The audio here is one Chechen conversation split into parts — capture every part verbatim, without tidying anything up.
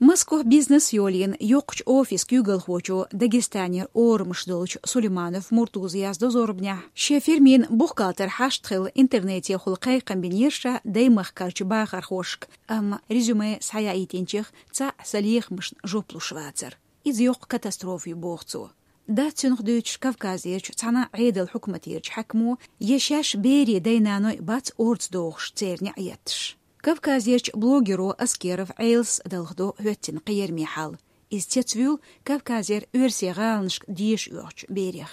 Москох бизнес йолийна йоккхачу офисан куьйгалхочо, Дагестанера орамаш долчу Сулейманов Муртуза яздо зорбанехь, шен фирмин бухгалтер хьашт хилла интернетехула кхайкхам бинера ша даймахкарчу бахархошка, амма резюме схьаяийтинчех цхьаъ сан лехамашна жоп луш вацара. Иза йоккха катастрофа ю, боху цо. Дац цунах дуьйцуш Кавказерчу цхьана Ӏедал хьукматерчу хьаькамо, я шаьш берийн дай-наной бац орца дохуш церан неӀ етташ. Кавказерчу блогеро Аскеров Ӏелас далхадо хӀоьттина кхераме хьал. Иза цецвуьйлу Кавказера оьрсийн гӀаланашка деша оьхучу берех.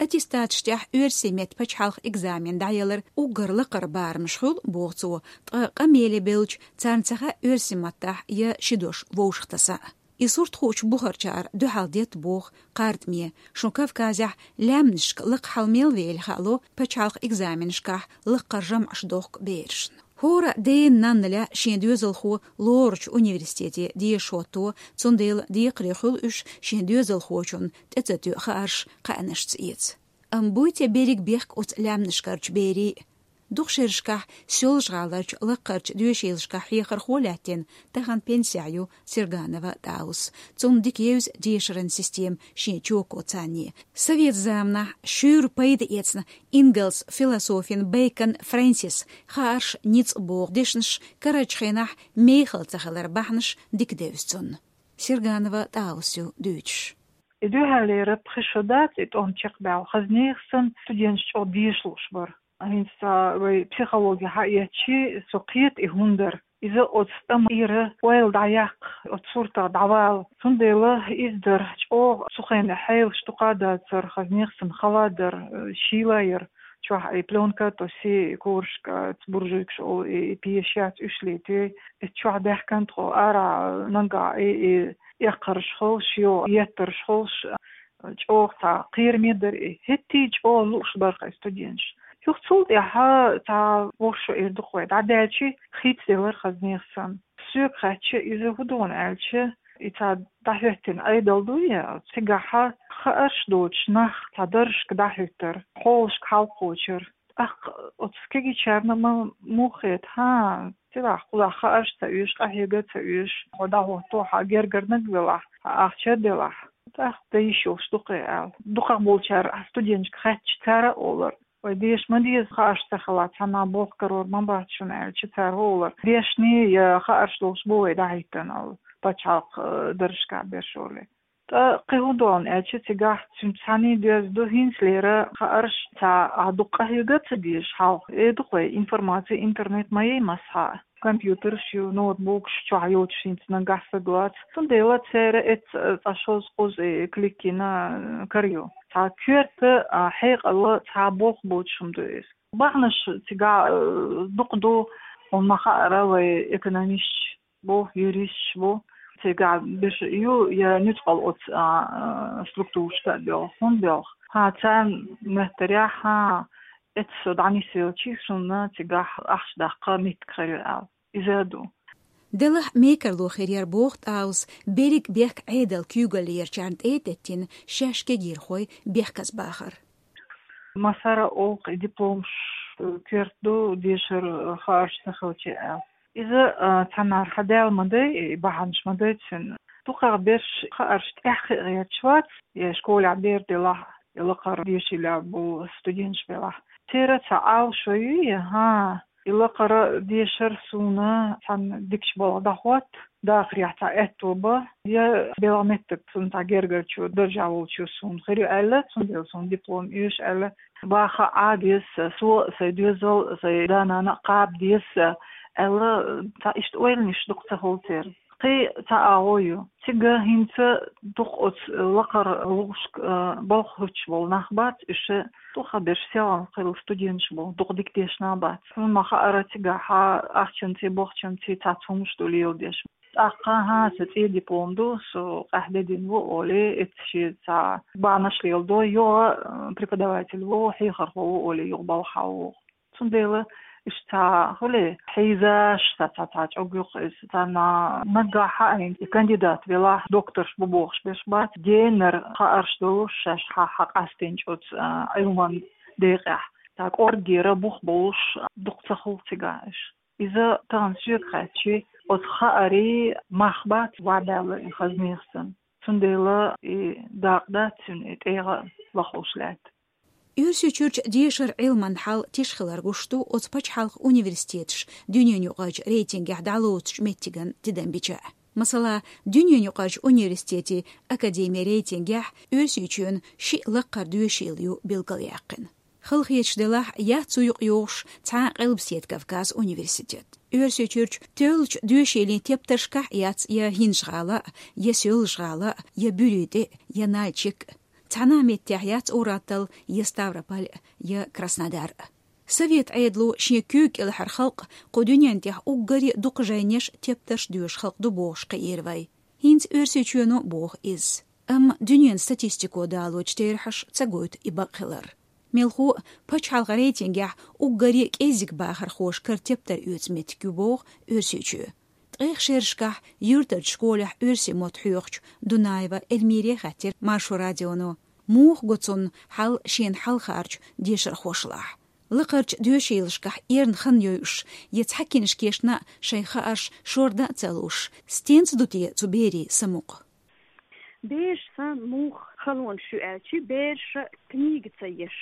Аттестаташ тӀехь оьрсийн меттан пачхьалкхан экзамен дӀаялар уггар лакхара барамаш хуьлу, боху цо, ткъа къамеле бевлча, царна ца хаьа оьрсийн маттахь я ши дош вовшахтаса. И сурт хуучу бухарчара дуьхьал детта боху кхардаме, шун Кавказехь лаьмнашка лакха хьал мел вели хаало пачхьалкхан экзаменашкахь лакхара жамӀаш дохку берашна. ХӀора дена-нанна лаьа шен доьзалхо лоручу университете деша хӀотто, цундела декхаре хуьлу уьш шен доьзалхочунна тӀе ца тоьу хаарш кхаьънашца эца. Амма буй те берриг бехк оцу лаьмнашкарчу берийн? Дукха шерашкахь Соьлжа-ГӀаларчу лакхарчу доьшийлашкахь хьехархо лаьттина, тахана пенсехь ю Серганова ТӀаус. Цунна дика евза дешаран система шен чоко царне. Совет заманахь шуьйра пайда эцна ингалс философин Бейкон Фрэнсис хаарш ницкъ боху дешнаш карарчу хенахь мехала ца хилар бахьанаш дика девза цунна. Серганова ТӀаус ю дуьйцуш. И дуьхьалера пхи шо дац и тӀом чекхбаьлла, хаза нехан санна студенташ чӀогӀа деша лууш бара. ХӀинца вай психологи хьаэцчи, со кхета и хӀунда дара. Иза оцу тӀамира ойла дӀаяккха, оцу суртах дӀавала. Цундела иза дара чӀогӀа цу хенахь хьелаш дукха а дацара, хаза нехан санна хала дара, шийла яра. Чохь и плёнка тоси, и корашка, буржуйкаш олу, и, и пешац уьш летий. И чохь даьхкан тхо ара нагахь, и, и эккхарш холуш, йо, еттарш холуш, чӀогӀа цхьа кхераме дара и. ХӀетте а чӀогӀа лууш бара хьайн студенташ. Юха цул тӀаьхьа цхьа вовшо эр дукха вай дӀадаьлчи, хийцаделар хаза нехан санна. Соьга хаьттича, иза хӀун ду аьлча, и цхьа дӀахӀоьттина Ӏедал дуй, цигахь хаарш доцуш нах цхьа даржашка дӀахӀуьттара, хьолашка хьалкхочура. ТӀаккха оцу кегийчарна ма муха хета, хӀа, цигахь кхузахь хаарш ца оьшу, къахьега ца оьшу, хьо дӀахӀотто, хьан гергарниг велахь, хьан ахча делахь. ТӀаккха дан йиш йолуш ду-кх и аьлла. Дукхахболчара студенташка хаьттича, цара а олура: «Вай деша ма деза, хаарш ца хилла, цхьанна болх карор ма бац шуна», — аьлча, цара олура: «Дешнийн я хаарш долуш бу вай дӀахӀиттина», — аьлла, пачхьалкх, э, даржашкахь берш олий. ТӀаккха кхин хӀун ду аьлча, цигахь цуьнца цхьаьний доьзна ду, хӀинцалера хаарш цхьа а дукха къахьега а ца дезаш хьалха. Э, ду-кх вай, информаци, интернет ма ю массахьа. Компьютерш ю, ноутбукаш чохь йоцуш, хӀинца нагахь стаг лаца. Цундела церан эцца цкъа шозза-кхузза и клик йина кара ю. Цхьа коьрта, а, хьекъал, цхьа болх боцуш хӀума ду иза. Бахьанаш цигахь, э, дукха ду, хьуна ма хаъара, вай экономисташ бу, юристаш бу, цигахь берш ю я нуьцкъала оцу, а, а, структурашка а боьлху, хӀунда боьлху. ХӀа, царна моьттарехь, хӀа, эцца со дӀанисвелчи, суна цигахь ахча даккха меттиг хир ю аьлла. Иза а ду. Делахь мекарло хир яра, боху ТӀаус, берриг бехк Ӏедалан куьйгаллерчарна тӀе а деттина, шаьш кегийрхой бехказа бахар. Массара а олу-кх, и дипломаш, э, коьрта ду, дешара, э, хаарш ца хилча аьлла. Иза, э, цхьаннахьа хьадаьлла ма дай, и бахьанаш ма дай цуьнан. Дукхах берш хаарш тӀехь хи а гӀерташ вац, я школехь бер делахь, я лакхара дешийлахь болу студенташ белахь. Церан цхьа Ӏалашо ю, я, хӀа, и лакхара дешар суна цхьана дикачу балха дӀахӀотта, дахарехь цхьа аьтто бан, я белхан меттиг цунна цхьа гергарчо, даржехь волчо суна хир ю аьлла, цундела суна диплом оьшу аьлла, баха Ӏа деза, со а, сайн доьзал а, сайн да-нана а кхаба деза аьлла, цхьа иштта ойланаш дукха ца хуьлу церан. Кхин цхьа агӀо ю. Цига хӀинца дукха оцу лакхара лувшка, а, балха хӀуьттуш болу нах бац, уьш дукха берш селхана хилла студенташ бу, дукха дика дешна бац. Хьуна ма хаъара, цигахь ахчанций, бохчанций цхьацца хӀумаш ду леладеш. ТӀаккха, хӀа, сан цӀе диплом ду, со къаьхьа де дина ву олий, эцца шен цхьа бахьанаш леладо, юха, а, преподаватель ву, хьехархо ву олий, юха балха ву. Цундела иштта цхьа хуьлий хьийзаш, цхьа, цхьа, цхьа чӀогӀа юкъа иза, цхьанна наггахь хьаийна, и кандидат велахь, докторш бу бохуш берш бац, генара хаарш долуш шаьш хьа, хьа къастийначу оцу, а, Ӏилман декъехь. Цхьа кӀоргера бух болуш дукха ца хуьлу цигахь иштта. Иза тахана соьга хаьттича, оцу хаарийн мах бац вӀаьбаьлла и хаза нехсан. Цундела и дакъа дац цуьнан, и тӀегӀа лахлуш лаьтта. Оьрсийчуьрчу дешаран Ӏилманан хьал тиша хилар гуш ду оцу пачхьалкхан университеташ дуьненаюкъарчу рейтингехь дӀалоцучу меттиган тидам бича. Масала, дуьненаюкъарчу университетийн академин рейтингехь Оьрсийчоьнан шиъ лаккхара доьшийла ю билгалъяьккхина. Халахеташ делахь, яц цу юкъа йогӀуш цхьа а Къилбаседа Кавказан университет. Оьрсийчуьрчу тоьллачу доьшийлийн тептаршкахь яц я ХӀинжа-ГӀала, я Соьлжа-ГӀала, я Буьрий тӀе, я Нальчик. Цхьана а меттехь яц Урал-Аттал, я Ставрополь, я Краснодар. Совет Ӏедало шен куьйга кӀелхьара халкъ кху дуьнен тӀехь уггаре а дукха жайнеш, тептарш доьшу халкъ ду бохуш кхиира вай. ХӀинца Оьрсийчоьно а боху иза. Амма дуьненан статистико далочу терахьаша ца гойту и бакъ хилар. Мелхо а, пачхьалкхан рейтингехь уггаре а кӀеззиг бахархоша кара тептар оьцу меттиг ю боху Оьрсийчоь. Ткъех шерашкахь юьртарчу школехь оьрсийн мотт хьоьхучу Дунаева Эльмире хаьттира Маршо радионо, муха го цунна хьал шена хьалхарчу дешархошлахь. Лакхарчу доьшийлашкахь эрна хан йойуш, я цхьа кинашкешна а шайн хаарш шордан а ца луш, стенца ду те цу берийн самукъа? Бераш сан муха халонаш ю аьлча, бераша книга ца еш.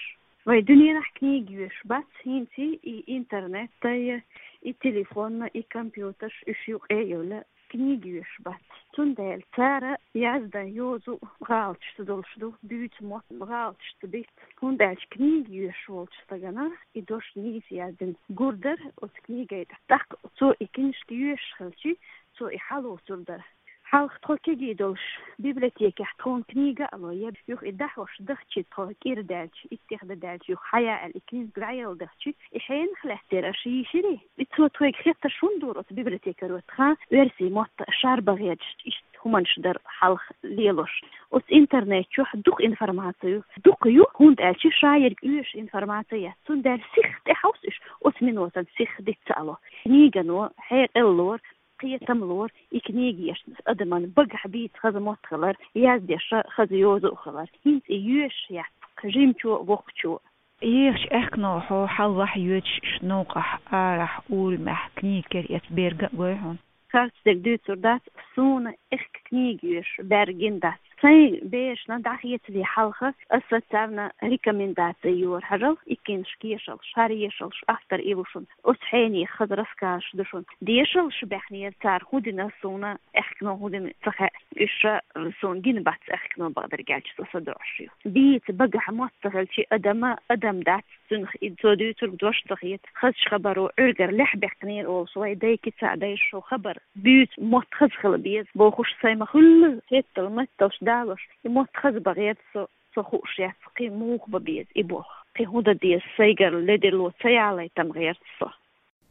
Вай дуьненахь книга йоьшуш бац, хӀинца и интернет тайа, и телефонна, и компьютерш уьш юкъе а йолу книга йоьшуш бац. Цундела цара яздан йозу гӀалаташ ца долуш ду, буьйцу мотт гӀалаташ ца биц. ХӀунда аьлча книга йоьшуш волчу стагана и дош нийса яздина гур дара оцу книгай тӀехь. ТӀаккха цо и книжка йоьшуш хилчи, цо и хьалоцур дара. Хьалха тхо кегий долуш, библиотекехь тхуна книга а ло, я юха и дӀахьош дахчи тхо кӀира даьлча, иттех дан даьлча, юха хьая аьлла и книга дӀаяла дахчи, и хьенах лаьттира аша йийширий? И цо тхоьга хеттарш хӀунда дора оцу библиотекаро тхан оьрсийн мотт шарбан гӀерташ, иштта хӀуманаш дара хьалха лелош? Оцу интернет чохь дукха информаци ю, дукха ю, хӀунда аьлча ша ерг оьшуш информаци яц, цундела сиха тӀехьовса уьш, оцу минотан сиха диц ца а ло. Книгано хьекъал лора, кхетам лора, и книга еш адаман багахь бийца хаза мотт хилар, яздеш хаза йоза а хилар. ХӀинца и йоьшуш яц-кх жимачо а, воккхачо а. Ехачу аьхкенах хьо хьалха йоьдуш, иштта новкъахь, арахь, урамехь книга кара эцна берг а гой хьуна? Харц дерг дуьйцур дац, суна аьхка книга йоьшуш бер гина дац. Сайн берашна дӀахецале хьалха аса царна рекомендаци йора: хьажал, и книжка ешалаш, хӀара ешалаш, автор и ву шуна, оцу хьенех хаза рассказаш ду шуна. Дешалаш баьхнера цара, хӀун дина суна, аьхкенах хӀун дина ца хаьа, уьш суна гина бац аьхкенах, бакъдерг аьлча, со садоӀуш ю. Бийца багахь мотт ца хилчи, адам а адам дац, цуьнах и цо дуьйцург дош ца хета. Хазачу хабаро Ӏуьргара лаьхьа баьккхинера олуш, вай дайкица а дайша шо хабар буьйцу мотт хаза хила беза бохуш, сайн ма-хуьллу хеттал-метталш далош, и мотт хаза бан гӀерта со, со хууш яц, кхин муха бан беза и болх, кхин хӀун дан деза, сайгара ледарло ца ялайта-м гӀерта со.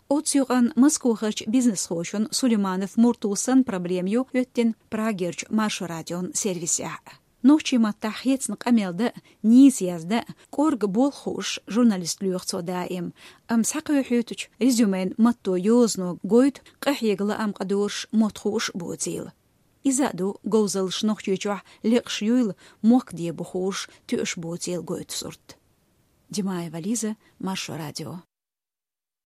Оццу юкъанна Москвахарчу бизнесхочун Сулейманов Муртусан проблема ю хӀоьттина Прагерчу Маршо радион сервисехь. Нохчийн маттахь хецна къамел дан а, нийса яздан а кӀорга болх хууш журналист лоьху цо даим, амма схьакхоьхьуьйтучу резюмен матто йозано гойту къахьега лаам къадоруш мотт хууш а боцийла. Иза а ду говзаллаш Нохчийчохь лекъаш юйла мохк дебо хууш тоьуш боцийла гойту сурт. Димаева Лиза, Маршо радио.